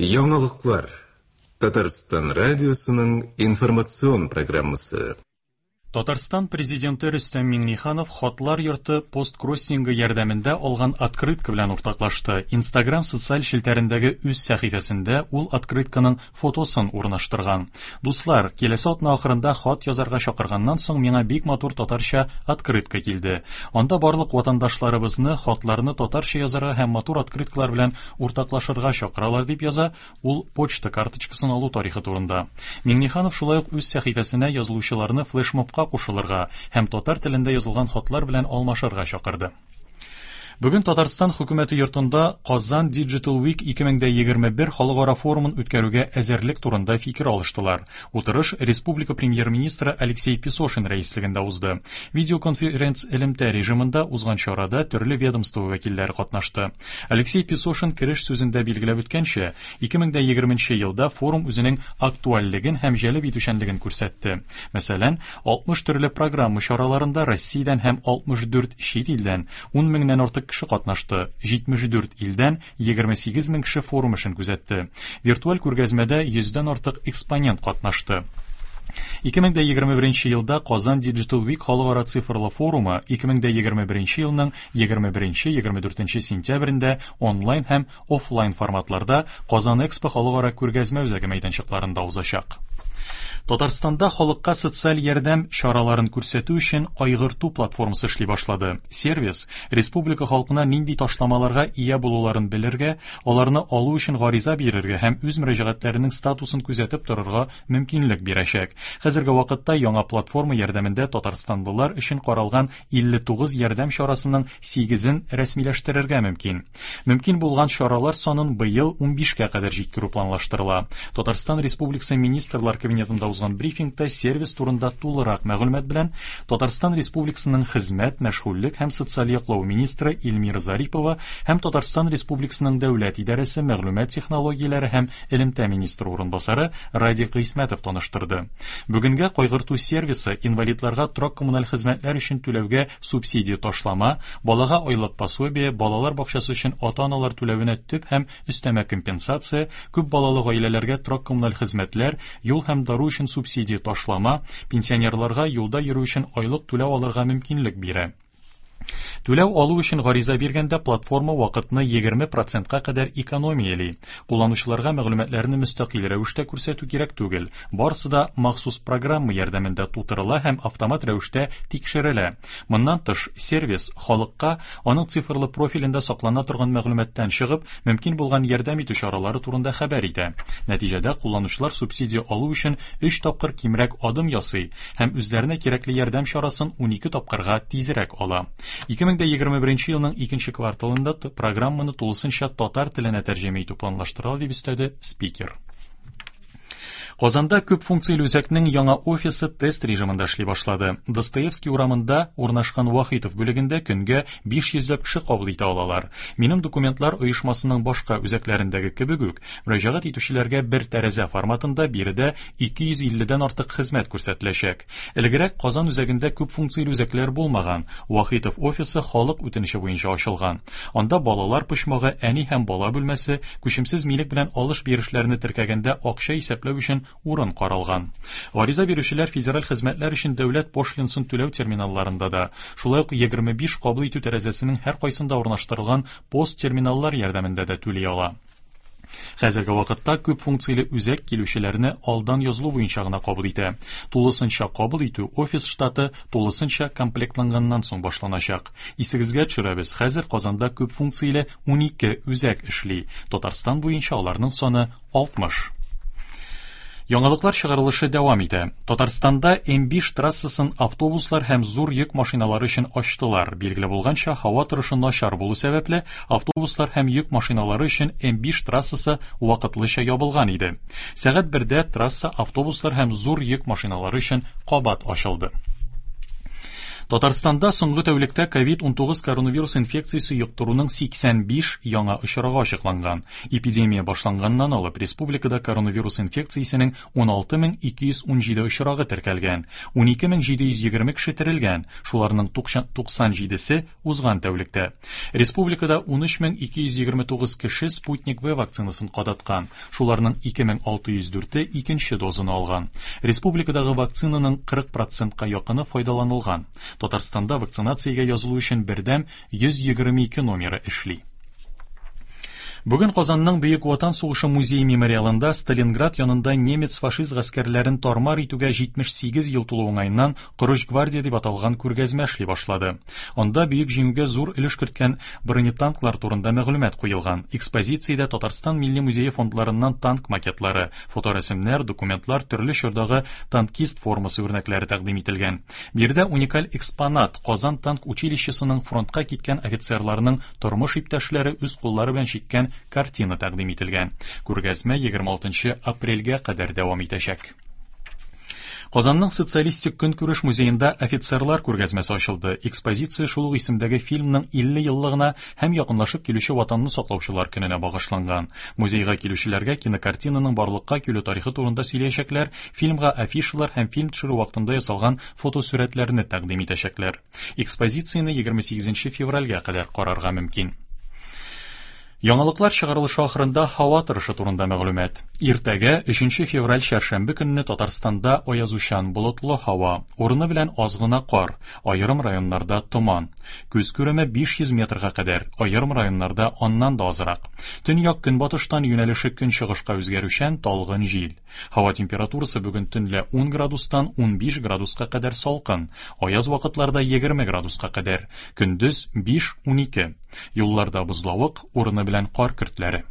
Яңалыклар. Татарстан радиосының информацион программасы. Татарстан Президенты Рөстәм Миңнеханов Хатлар йорты посткроссингы ярдәмендә алган открытка белән уртаклашты. Инстаграм социаль челтәрендәге үз сәхифәсендә ул открытканың фотосын урнаштырган. Дуслар, киләсе атна ахырында хат язарга чакырганнан соң миңа бик матур татарча открытка килде. Анда барлык ватандашларыбызны хатларны татарча язарга һәм матур открыткалар белән уртаклашырга чакыралар, дип яза ул почта карточкасын алу тарихы турында. Миңнеханов шулай ук үз сәхифәсенә язылучыларны флешмобка кушылырга һәм татар телендә язылган хатлар белән алмашырга чакырды. Бүген Татарстан хөкүмәте йортында Казан Digital Week 2021 халыкара форумын үткәрүгә әзерлек турында фикер алыштылар. Утырыш республика премьер-министры Алексей Песошин рәислегендә узды. Видеоконференц элемтә режимында узган чарада төрле ведомство вәкилләре катнашты. Алексей Песошин кереш сүзендә билгеләп үткәнчә, 2020 елда форум үзенең актуальлеген һәм җәлеп итүчәнлеген күрсәтте. Мәсәлән, 60 төрле программа чараларында Россиядән һәм 64 чит илдән 10 меңнән артык кеше катнашты, 74 илдән 28 мең кеше форум эшен күзәтте. Виртуаль күргәзмәдә 100дән артык экспонент катнашты. 2021 елда Казан Digital Week халыкара цифрлы форумы 2021 елның 21-24 сентябрендә онлайн һәм офлайн форматларда Казан Экспо халыкара күргәзмә үзәге мәйданчыкларында узачак. Татарстанда халыкка социаль ярдәм чараларын күрсәтү өчен Кайгырту платформасы эшли башлады. Сервис республика халкына нинди ташламаларга ия булуларын белергә, аларны алу өчен гариза бирергә һәм үз мөрәҗәгатьләренең статусын күзәтеп торырга мөмкинлек бирәчәк. Хәзерге вакытта яңа платформа ярдәмендә татарстанлылар өчен каралган 59 ярдәм чарасының 8-ен рәсмиләштерергә мөмкин. Мөмкин булган чаралар санын быел 15-кә кадәр җиткерү планлаштырыла. Татарстан Республикасы Министрлар Кабинетында узган брифингта сервис турында тулырак мәгълүмат белән Татарстан Республикасының Хезмәт, мәшгульлек һәм социаль яклау министры Эльмира Зарипова һәм Татарстан Республикасының Дәүләт идарәсе мәгълүмат технологияләре һәм элемтә министры урынбасары Радик Гыйсмәтов таныштырды. Бүгенгә кайгырту сервисы инвалидларга торак-коммуналь хезмәтләр өчен түләүгә субсидия ташлама, балага айлык пособие, балалар бакчасы өчен ата-аналар түләвенә төп һәм өстәмә компенсация, күп балалы гаиләләргә торак-коммуналь хезмәтләр, юл һәм дару өчен субсидия ташлама, пенсионерларга юлда йөрү өчен айлык түләү алырга мөмкинлек бирә. Түләү алу өчен гариза биргәндә платформа вакытны 20 процентка кадәр экономияли. Кулланучыларга мәгълүматларны мөстәкыйль рәвештә күрсәтү кирәк түгел. Барысы да махсус программа ярдәмендә тутырыла һәм автомат рәвештә тикшерелә. Моннан тыш, сервис халыкка аның цифрлы профилендә саклана торган мәгълүматтан чыгып, мөмкин булган ярдәм итү чаралары турында хәбәр итә. Нәтиҗәдә кулланучылар субсидия алу өчен 3 тапкыр кимрәк адым ясый һәм үзләренә кирәкле ярдәм чарасын 12 тапкырга тизрәк ала. 2021 елның икенче кварталында программаны тулысынча татар теленә тәрҗемә итү планлаштырыла, дип өстәде спикер. Казанда күп функцияле үзәкнең яңа офисы тест режимында эшли башлады. Достоевский урамында урнашкан Вахитов бүлегендә көнгә 500 ләп кеше кабул итә алалар. Минем документлар оешмасының башка үзәкләрендәге кебек үк, мөрәҗәгать итүчеләргә бер тәрәзә форматында биредә 250 дән артык хезмәт күрсәтеләчәк. Элегрәк Казан үзәгендә күп функцияле үзәкләр булмаган. Вахитов офисы халык үтенече буенча ачылган. Анда балалар почмагы, әни һәм бала бүлмәсе, күчемсез милек белән алыш-бирешләрне теркәгәндә акча исәпләү өчен урын каралган. Гариза бирүчеләр федераль хезмәтләр өчен дәүләт пошлинасын түләү терминалларында да, шулай ук 25 кабул итү тәрәзәсенең һәркайсында урнаштырылган пост-терминаллар ярдәмендә дә түли ала. Хәзерге вакытта күп функцияле үзәк килүчеләрне алдан язылу буенча гына кабул итә. Тулысынча кабул итү офис штаты тулысынча комплектланганнан соң башланачак. Исегезгә төшерәбез, хәзер Казанда күп функцияле 12 үзәк эшли. Татарстан буенча аларның саны 60. Яңалыклар чыгарылышы дәвам итә. Татарстанда М5 трассасын автобуслар һәм зур йөк машиналары өчен ачтылар. Билгеле булганча, һава торышы начар булу сәбәпле, автобуслар һәм йөк машиналары өчен М5 трассасы вакытлыча ябылган иде. Сәгать 1дә трасса автобуслар һәм зур йөк машиналары өчен кабат ачылды. Татарстанда соңгы тәүлектә COVID-19 коронавирус инфекциясе йоктыруның 85 яңа очрагы ачыкланган. Эпидемия башланганнан алып республикада коронавирус инфекциясенең 16217 очрагы теркәлгән. 12720 кеше терелгән, шуларның 97-се узган тәүлектә. Республикада 13229 кеше Спутник V вакцинасын кадаткан, шуларның 2604-е икенче дозаны алган. Республикадагы вакцинаның 40 процентка якыны файдаланылган. Татарстанда вакцинациягә язылу өчен бердәм 122 номеры эшли. Бүген Казанның Бөек Ватан сугышы музее мемориалында Сталинград янында немец-фашист гаскәрләрен тармар итүгә 78 ел тулу уңаеннан Корыч гвардия дип аталган күргәзмә эшли башлады. Анда Бөек Җиңүгә зур өлеш керткән бронетанклар турында мәгълүмат куелган. Экспозициядә Татарстан Милли музее фондларыннан танк макетлары, фоторәсемнәр, документлар, төрле чордагы танкист формасы үрнәкләре тәкъдим ителгән. Биредә уникаль экспонат Казан танк училищесының фронтка киткән офицерларының тормыш иптәшләре үз куллары белән чиккән картина тәкъдим ителгән. Күргәзмә 26 апрельгә кадәр дәвам итәчәк. Казанның социалистик көнкүреш музеенда офицерлар күргәзмәсе ачылды. Экспозиция шул ук исемдәге фильмның 50 еллыгына һәм якынлашып килүче Ватанны саклаучылар көненә багышланган. Музейга килүчеләргә кинокартинаның барлыкка килү тарихы турында сөйләячәкләр, фильмга афишалар һәм фильм төшерү вакытында ясалган фотосурәтләрне тәкъдим итәчәкләр. Экспозицияне 28 февральгә кадәр карарга мөмкин. Яңалыклар чыгарылышы ахырында һава торышы турында мәгълүмат. Иртәгә 3 февраль чәршәмбе көнне Татарстанда аязучан болытлы һава, урыны белән аз гына кар, аерым районнарда томан. Күз күреме 500 метрга кадәр, аерым районнарда аннан да азрак. Төньяк көнбатыштан юнәлеше көнчыгышка үзгәрүчән талгын җил. Һава температурасы бүген төнлә 10 градустан 15 градуска кадәр салкын, аяз вакытларда 20 градуска кадәр, көндез 5-12. Юлларда бозлавык, урыны белән кар көртләре.